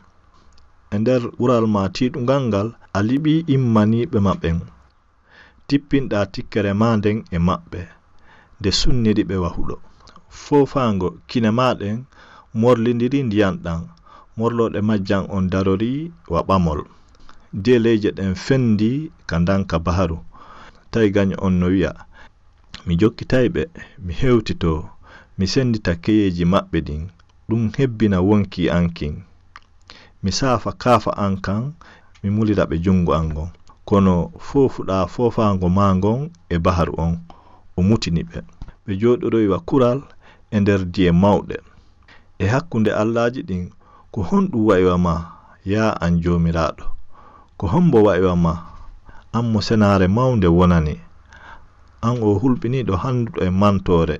E nder ɓural maa tiiɗungal ngal, a liɓii immaniiɓe ma ɓen. Tippinɗaa tikkere maa nden e maɓɓe, nde sunniri ɓe wa huɗo. Foofaango kine maa ɗen morlindiri ndiyan ɗan, morlooɗe majjan on darorii wa ɓamol. Dieleeje ɗen fendii ka ndanka baharu, tawi gaɲo on no wi'a, "Mi jokkitay ɓe, mi hewtitoo, mi senndita keyeeji maɓɓe ɗin, ɗun hebbina wonkii an kin. Mi saafa kaafa an kan, mi mulira ɓe junngo an ngon." Kono foofuɗaa foofaango maa ngon e baharu on, o mutini ɓe. Ɓe jooɗoroyi wa kural e nder diye mawɗe. E hakkunde allaaji ɗin, ko honɗun wa'i wa maa, yaa an Joomiraaɗo? Ko hommbo wa'i wa maa, an mo senaare mawnde wonani? An o hulɓiniiɗo hannduɗo e mantoore,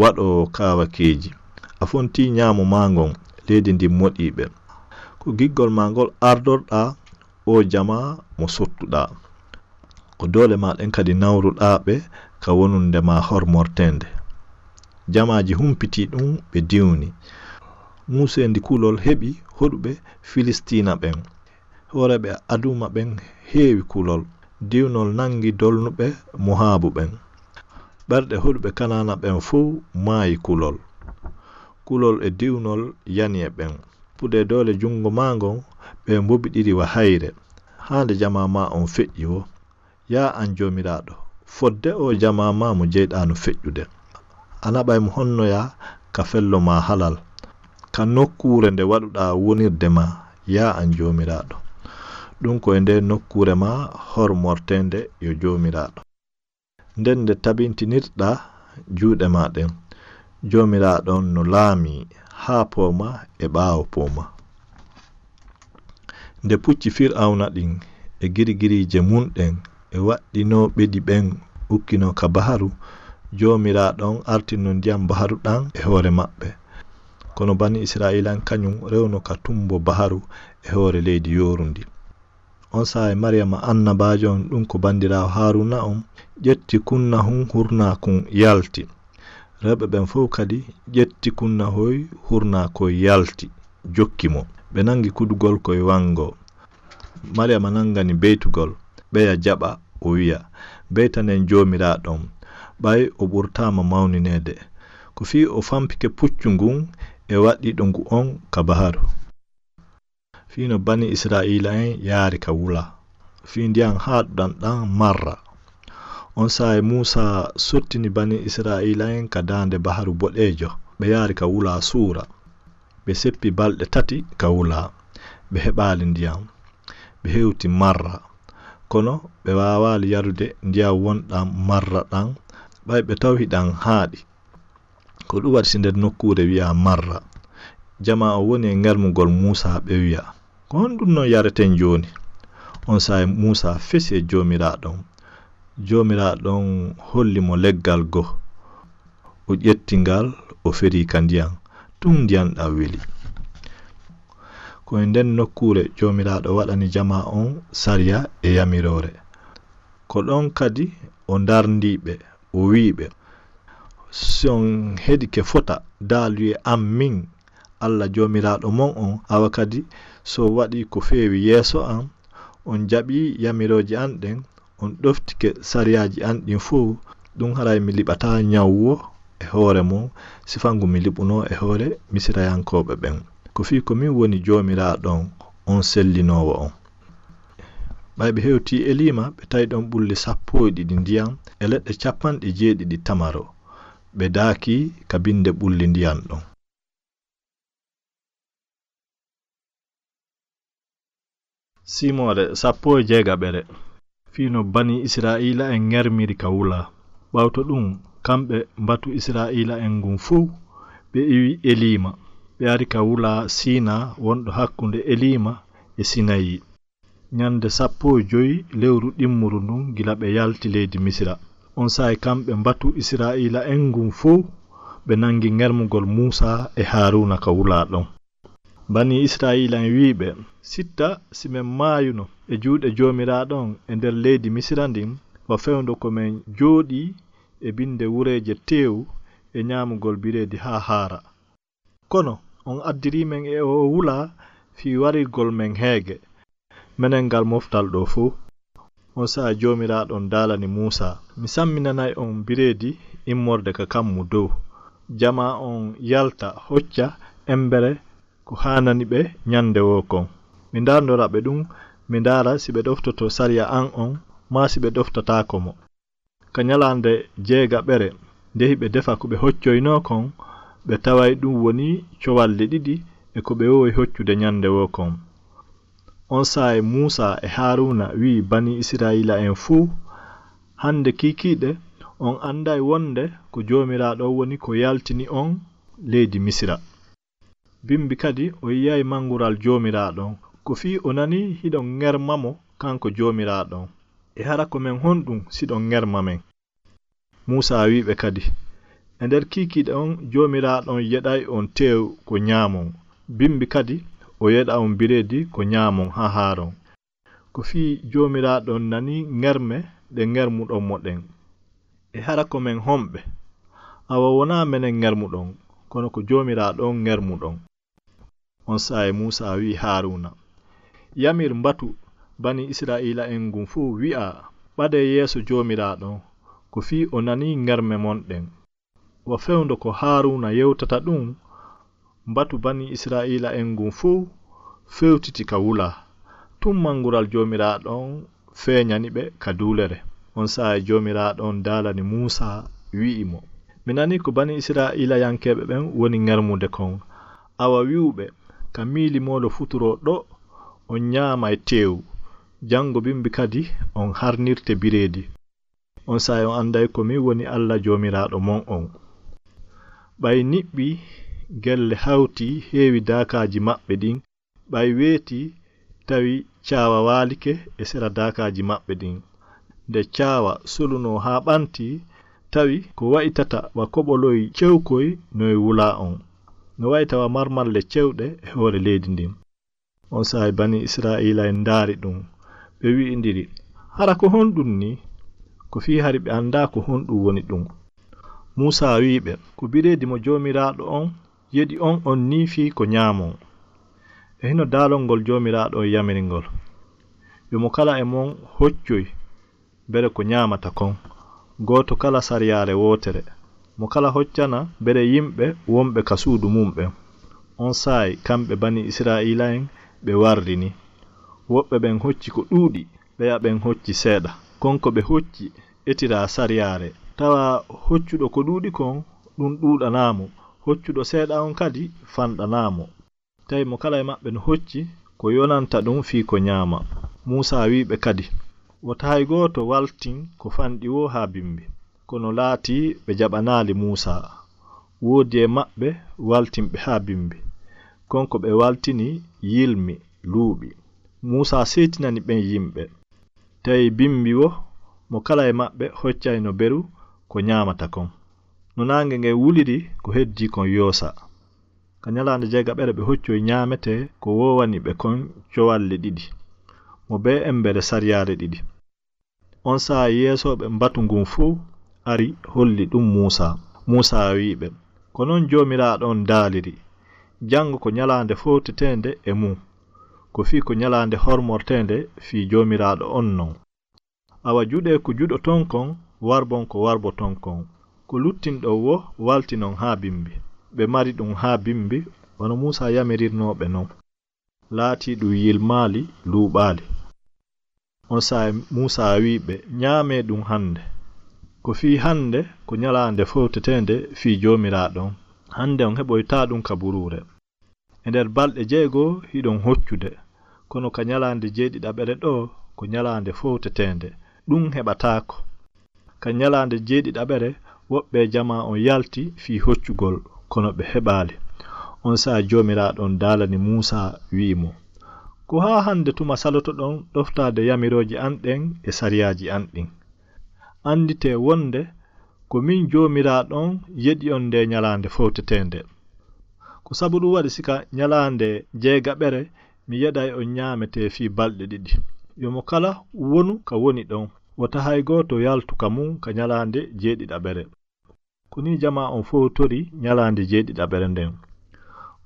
waɗoowo kaawakeeji. A fontii ɲaamo maa ngon leydi ndin moɗii ɓe. Ko giggol maa ngol ardorɗaa oo jamaa mo sottuɗaa. Ko doole maa ɗen kadi nawruɗaa ɓe ka wonunde maa hormorteende. Jamaaji humpitii ɗun, ɓe diwni. Muuseendi kulol heɓi hoɗuɓe Filistiina ɓen. Hooreeɓe Aduma ɓen heewi kulol. Diwnol nangi dolnuɓe Mohabu ɓen. Ɓerɗe hoɗuɓe Kanaana ɓen fow maayi kulol. Kulol e diwnol yani e ɓen. Pude doole junngo maa ngon, ɓe mbobiɗiri wa hayre, haa nde jamaa maa on feƴƴi woo. Yaa an Joomiraaɗo, fodde oo jamaa maa mo jeyɗaa no feƴƴude, a naɓay mo honnoyaa ka fello maa halal, ka nokkuure nde waɗuɗaa wonirde maa, yaa an Joomiraaɗo. Ɗun ko e ndee nokkuure maa hormorteende yo Joomiraaɗo. Nden nde tabintinirɗaa juuɗe maa ɗen, Joomiraaɗo on no laamii haa pooma e ɓaawo pooma. Nde pucci Fir'awna ɗin e girigiriije mun ɗen e waɗɗinooɓe ɗi ɓen ukkinoo ka baharu, Joomiraaɗo on artirno ndiyan baharu ɗan e hoore maɓɓe. Kono Banii Isra'iila en kaɲun rewno ka tumbo baharu e hoore leydi yoorundi. Onsay Mariyama annabaajo on, ɗun ko bandiraawo Haaruuna on, ƴetti kunnahun hurnaa kun yalti. Rewɓe ɓen fow kadi ƴetti kunnahoy hurnaa koy yalti, jokki mo. Ɓe nangi kudugol koy wanngoo. Mariyama nangani beytugol, ɓeya jaɓa, o wi'a, "Beytanen Joomiraaɗo on, ɓay o ɓurtaama mawnineede. Ko fii o fampike puccu ngun e waɗɗiiɗo ngu on ka baharu." Fii no Banii Isra'iila'en yaari ka wula, fii ndiyan haaɗuɗan ɗan Marra. Onsay Muusaa sottini Banii Isra'iila'en ka daande Baharu Boɗeejo, ɓe yaari ka wula Suura. Ɓe seppi balɗe tati ka wula, ɓe heɓaali ndiyan. Ɓe hewti Marra, kono ɓe waawaali yarude ndiyan wonɗan Marra ɗan, ɓay ɓe taw hiɗan haaɗi. Ko ɗun waɗi si nder nokkuure wi'aa Marra. Jamaa on woni e ŋermugol Muusaa, ɓe wi'a, "Ko honɗun non yareten jooni?" Onsay Muusaa fesi e Joomiraaɗo on. Joomiraaɗo on holli mo leggal goo. O ƴetti ngal, o feri ka ndiyan. Tun ndiyan ɗan weli. Ko e nden nokkuure Joomiraaɗo waɗani jamaa on sariya e yamiroore. Ko ɗon kadi o ndarndii ɓe, o wi'i ɓe, "Si on heɗike fota daaluyee an min, Alla Joomiraaɗo mon on, awa kadi si on waɗii ko feewi yeeso an, on jaɓii yamirooje an ɗen, on ɗoftike sariyaaji an ɗin fow, ɗun haray mi liɓataa ɲaw woo e hoore mon, sifa ngu mi liɓunoo e hoore Misirayankooɓe ɓen. Ko fii ko min woni Joomiraaɗo on, on sellinoowo on." Ɓay ɓe hewtii Eliima, ɓe tawi ɗon ɓulli sappo e ɗiɗi ndiyan e leɗɗe capanɗe jeeɗiɗi tamaro. Ɓe daakii ka binde ɓulli ndiyan ɗon. Simoore sappo e jeegaɓere. Fii no Banii Isra'iila'en ŋermiri ka wula. Ɓawto ɗun, kamɓe mbatu Isra'iila'en ngun fow, ɓe iwi Eliima. Ɓe ari ka wula Siinaa wonɗo hakkunde Eliima e Sinayi. Ɲande sappo e jowi lewru ɗimmuru ndun gila ɓe yalti leydi Misira. Onsay kamɓe mbatu Isra'iila'en ngun fow, ɓe nangi ŋermugol Muusaa e Haaruuna ka wulaa ɗon. Banii Isra'iila'en wi'i ɓe, "Sitta si men maayuno e juuɗe Joomiraaɗo on e nder leydi Misira ndin, wa fewndo ko men jooɗii e binde wureeje teewu e ñaamugol bireedi haa haara. Kono on addirii men e oo wulaa fii warirgol men heege, menen ngal moftal ɗoo fow." Onsay Joomiraaɗo on daalani Muusaa, "Mi samminanay on bireedi immorde ka kammu dow. Jamaa on yalta, hocca embere ko haanani ɓe ñande woo kon. Mi ndaarndora ɓe ɗun, mi ndaara si ɓe ɗoftoto sariya an on, maa si ɓe ɗoftataako mo." Ka ñalaande jeegaɓere, nde hiɓe defa ko ɓe hoccoynoo kon, ɓe taway ɗun woni cowalle ɗiɗi e ko ɓe wowi hoccude ñande woo kon. Onsay Muusaa e Haaruuna wi'i banii Isra'iila'en fow, "Hande kiikiiɗe, on anday wonde ko Joomiraaɗo on woni ko yaltini on leydi Misira. Bimbi kadi o yi'ay mangural Joomiraaɗo on, ko fii o nanii hiɗon ŋerma mo kanko Joomiraaɗo on. E hara ko men honɗun siɗon ŋerma men?" Muusaa wi'i ɓe kadi, "E nder kiikiiɗe on, Joomiraaɗo on yeɗay on teew ko ñaamon. Bimbi kadi o yeɗa on bireedi ko ñaamon haa haaron. Ko fii Joomiraaɗo on nanii ŋerme ɗe ŋermuɗon mo ɗen. E hara ko men homɓe? Awa wonaa menen ŋermuɗon, kono ko Joomiraaɗo on ŋermuɗon." Onsay Muusaa wi'i Haaruuna, "Yamir mbatu banii Isra'iila'en ngun fow wi'aa, ɓadee yeeso Joomiraaɗo on, ko fii o nanii ŋerme mon ɗen." Wa fewndo ko Haaruuna yewtata ɗun, mbatu banii Isra'iila'en ngun fow fewtiti ka wulaa. Tun mangural Joomiraaɗo on feeñani ɓe ka duulere. Onsay Joomiraaɗo on daalani Muusaa, wi'i mo, "Mi nanii ko banii Isra'iilayankeeɓe ɓen woni ŋermude kon. Awa wi'u ɓe, 'Ka miilimoolo futuroo ɗoo, on ñaamay teewu. Jango bimbi kadi on harnirte bireedi. Onsay on anday ko min woni Alla Joomiraaɗo mon on. Ɓay niɓɓi gelle hawti heewi daakaaji maɓɓe ɗin, ɓay weeti tawi caawa waalike e sera daakaaji maɓɓe ɗin. Nde caawa solunoo haa ɓanti, tawi ko wa'itata wa koɓoloy cewkoy no e wulaa on. No wa'ita wa marmalle cewɗe e hoore leydi ndin.'" Onsay banii Isra'iila'en ndaari ɗun, ɓe wi'indiri, "Hara ko honɗun nii?" Ko fii hari ɓe andaa ko honɗun woni ɗun. Muusaa wi'i ɓe, "Ko bireedi mo Joomiraaɗo on yeɗi on on nii fii ko ñaamon. E hino daalol ngol Joomiraaɗo on yamiri ngol, 'Yo mo kala e mon hoccoy bere ko ñaamata kon, gooto kala sariyaare wootere. Mo kala hoccana bere yimɓe wonɓe ka suudu mun ɓen.'" Onsay kamɓe banii Isra'iila'en ɓe warrini. Woɓɓe ɓen hocci ko ɗuuɗi, ɓeya ɓen hocci seeɗa. Kon ko ɓe hocci etiraa sariyaare. Tawa hoccuɗo ko ɗuuɗi kon, ɗun ɗuuɗanaa mo. Hoccuɗo seeɗa on kadi fanɗanaa mo. Tawi mo kala e maɓɓe no hocci ko yonanta ɗun fii ko ñaama. Muusaa wi'i ɓe kadi, "Wota hay gooto waltin ko fanɗi woo haa bimbi." Kono laatii ɓe jaɓanaali Muusaa. Woodi e maɓɓe waltinɓe haa bimbi. Kon ko ɓe waltini yilmi, luuɓi. Muusaa seetinani ɓen yimɓe. Tawi bimbi woo, mo kala e maɓɓe hoccayno beru ko ñaamata kon. No naange ngen wuliri, ko heddii kon yoosa. Ka ñalaande jeegaɓere ɓe hoccoy ñaametee ko woowani ɓe kon cowalle ɗiɗi, mo bee embere sariyaare ɗiɗi. Onsay yeesooɓe mbatu ngun fow ari holli ɗun Muusaa. Muusaa wi'i ɓe, "Ko non Joomiraaɗo on daaliri, jango ko ñalaande fowteteende e mun, ko fii ko ñalaande hormorteende fii Joomiraaɗo on non. Awa juɗee ko juɗoton kon, warbon ko warboton kon. Ko luttinɗon woo waltinon haa bimbi." Ɓe mari ɗun haa bimbi, wano Muusaa yamirirnoo ɓe non. Laatii ɗun yilmaali, luuɓaali. Onsay Muusaa wi'i ɓe, "Ñaamee ɗun hande. Ko fii hande ko ñalaande fowteteende fii Joomiraaɗo on. Hande on heɓoytaa ɗun ka buruure. E nder balɗe jeego hiɗon hoccude, kono ka ñalaande jeeɗiɗaɓere ɗoo ko ñalaande fowteteende, ɗun heɓataako." Ka ñalaande jeeɗiɗaɓere, woɓɓe e jamaa on yalti fii hoccugol, kono ɓe heɓaali. Onsay Joomiraaɗo on daalani Muusaa, wi'i mo, "Ko haa hande tuma salotoɗon ɗoftaade yamirooje an ɗen e sariyaaji an ɗin? Annditee wonde ko min Joomiraaɗo on yeɗi on ndee ñalaande fowteteende. Ko sabu ɗum waɗi si ka ñalaande jeegaɓere mi yeɗay on ñaametee fii balɗe ɗiɗi. Yo mo kala wonu ka woni ɗon, wota hay gooto yaltu ka mun ka ñalaande jeeɗiɗaɓere. Ko nii jamaa on fow tori ñalaande jeeɗiɗaɓere nden.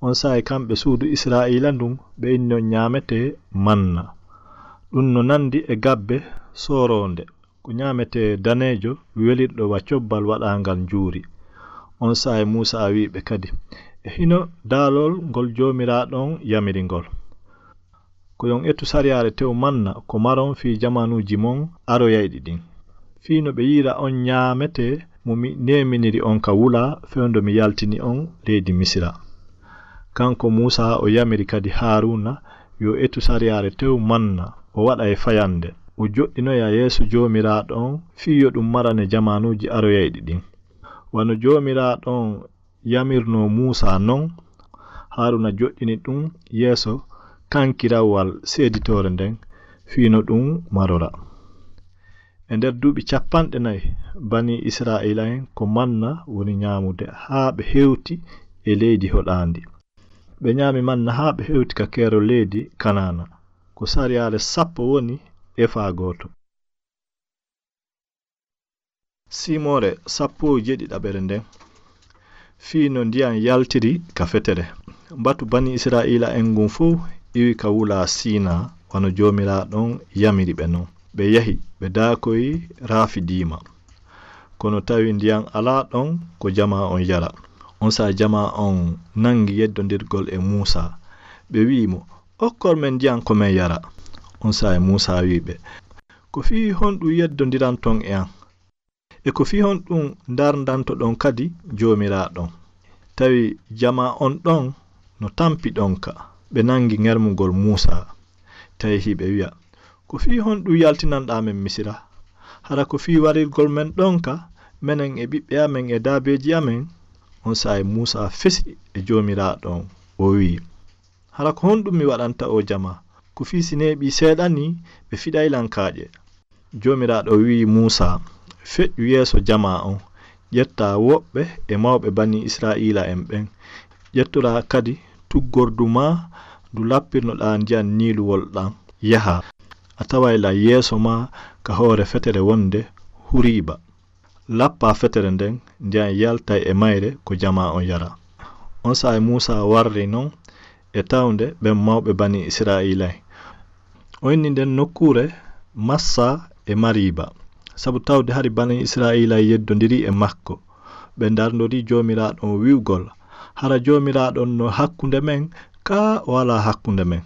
Onsay kamɓe suudu Israa'iila ndun ɓe inni on ñaametee manna. Ɗum no nandi e gabbe sooroonde. Ko ñaametee daneejo welirɗo wa cobbal waɗaangal njuuri. Onsay Muusaa wi'i ɓe kadi, e hino daalol ngol Joomiraaɗo on yamiri ngol. Ko yon ettu sariyaare tew manna ko maron fii jamaanuuji mon aroyayɗi ɗin. Fii no ɓe yi'ira on ñaametee mo mi neeminiri on ka wulaa fewndo mi yaltini on leydi Misira. Kanko Muusaa o yamiri kadi Haaruuna yo ettu sariyaare tew manna o waɗa e fayannde. O joɗɗinoya yeeso Joomiraaɗo on fii yo ɗum marane jamaanuuji aroyayɗi ɗin. Wano Joomiraaɗo on yamirnoo Muusaa non, Haaruuna joɗɗini ɗum yeeso kankirawal seeditoore nden fii no ɗum marora. E nder duuɓi cappanɗe nayi, banii Israa'iila'en ko manna woni ñaamude haa ɓe hewti e leydi hoɗaandi. Ɓe ñaami manna haa ɓe hewti ka keerol leydi Kanaana. Ko sariyaare sappo woni efaa gooto. Siimoore sappo e jeeɗiɗaɓere nden, fii no ndiyan yaltiri ka fetere. Mbatu banii Israa'iila'en ngun fow iwi ka wulaa Siinaa, wano Joomiraaɗo on yamiri ɓe non. Ɓe yahi, ɓe daakoyi Rafidiima. Kono tawi ndiyan alaa ɗon ko jamaa on yara. Onsay jamaa on nangi yeddondirgol e Muusaa. Ɓe wi'i mo, okkor men ndiyan ko men yara. Onsay Muusaa wi'i ɓe, ko fii honɗum yeddondiranton e an? E ko fii honɗum ndarndantoɗon kadi Joomiraaɗo on? Tawi jamaa on ɗon no tampi ɗonka. Ɓe nangi ŋermugol Muusaa. Tawi hiɓe wi'a, ko fii honɗum yaltinanɗaa men Misira? Hara ko fii warirgol men ɗonka, menen e ɓiɓɓe amen e daabeeji amen? Onsay Muusaa fesi e Joomiraaɗo on, o wi'i, hara ko honɗum mi waɗanta oo jamaa? Ko fii si neeɓii seeɗa nii, ɓe fiɗay lan kaaƴe. Joomiraaɗo wi'i Muusaa, feƴƴu yeeso jamaa on, ƴettaa woɓɓe e mawɓe banii Israa'iila'en ɓen, ƴettoraa kadi tuggordu maa ndu lappirnoɗaa ndiyan Niiluwol ɗan, yahaa. A taway lan yeeso maa ka hoore fetere wonde Huriiba. Lappaa fetere nden, ndiyan yaltay e mayre ko jamaa on yara. Onsay Muusaa warri non e tawnde ɓen mawɓe banii Israa'iila'en. O inni nden nokkuure Massa e Mariiba, sabu tawde hari banii Israa'iila'en yeddondiri e makko. Ɓe ndarndori Joomiraaɗo on wi'ugol, hara Joomiraaɗo on no hakkunde men, kaa o alaa hakkunde men?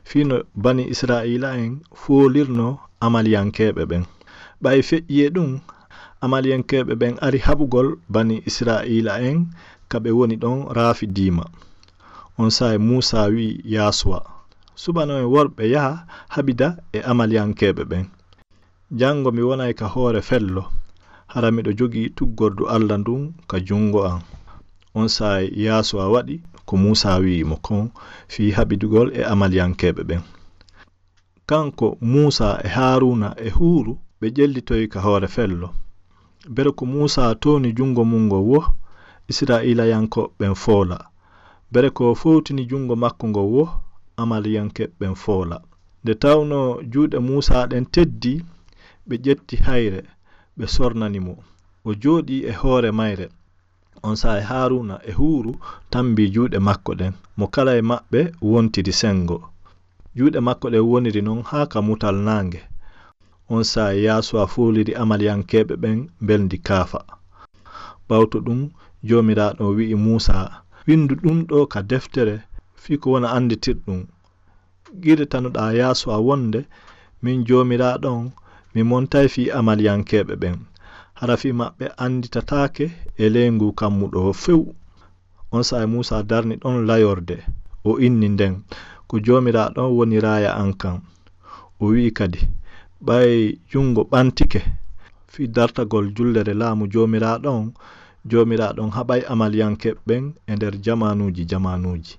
Fii no banii Israa'iila'en foolirnoo Amaliyankeeɓe ɓen. Ɓay feƴƴii e ɗum, Amaliyankeeɓe ɓen ari haɓugol banii Israa'iila'en ka ɓe woni ɗon Rafidiima. Onsay Muusaa wi'i Yaasuwa, suɓano en worɓe yaha haɓida e Amaliyankeeɓe ɓen. Janngo mi wonay ka hoore fello, hara miɗo jogii tuggordu Alla ndun ka junngo an. Onsay Yaasuwa waɗi ko Muusaa wi'i mo kon fii haɓidugol e Amaliyankeeɓe ɓen. Kanko Muusaa e Haaruuna e Huuru ɓe ƴellitoyi ka hoore fello. Bere ko Muusaa tooni junngo mun ngon wo, Israa'iilayanko ɓen foola. Bere ko o fowtini junngo makko ngon wo, Amaliyanke ɓen foola. Nde tawnoo juuɗe Muusaa ɗen teddii, ɓe ƴetti hayre, ɓe sornani mo. O jooɗii e hoore mayre. Onsay Haaruuna e Huuru tambii juuɗe makko ɗen. Mo kala e maɓɓe wontiri senngo. Juuɗe makko ɗen woniri non haa ka mutal naange. Onsay Yaasuwa fooliri Amaliyankeeɓe ɓen mbelndi kaafa. Ɓawto ɗum, Joomiraaɗo on wi'i Muusaa, winndu ɗum ɗoo ka deftere fii ko wona annditirɗum. Qirritanoɗaa Yaasuwa wonde, min Joomiraaɗo on, mi montay fii Amaliyankeeɓe ɓen. Hara fii maɓɓe annditataake e ley ngu kammu ɗoo few. Onsay Muusaa darni ɗon layorde, o inni nden, ko Joomiraaɗo on woni raaya an kan. O wi'i kadi, ɓay junngo ɓantike fii dartagol jullere laamu Joomiraaɗo on, Joomiraaɗo on haɓay Amaliyankeeɓe ɓen e nder jamaanuuji jamaanuuji.